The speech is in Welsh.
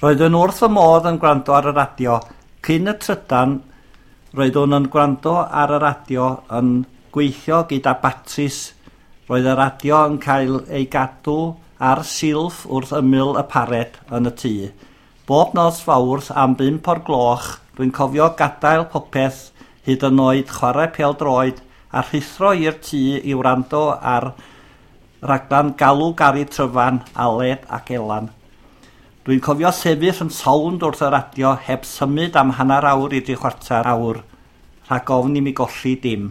Roeddwn wrth fy modd yn gwrando ar y radio. Cyn y trydan, roeddwn yn gwrando ar y radio yn gweithio gyda batris. Roedd y radio yn cael ei gadw ar silff wrth ymyl y pared yn y tŷ. Bob nos Fawrth am 5 o'r gloch, dwi'n cofio gadael popeth, hyd yn oed chwarae pêl-droed, a rhuthro i'r tŷ i wrando ar raglan Galw Gari Tryfan, Aled ac Elan. Dwi'n cofio sefyll yn sownd wrth y radio heb symud am hanner awr i dri chwarter awr, rhag ofn i mi golli dim.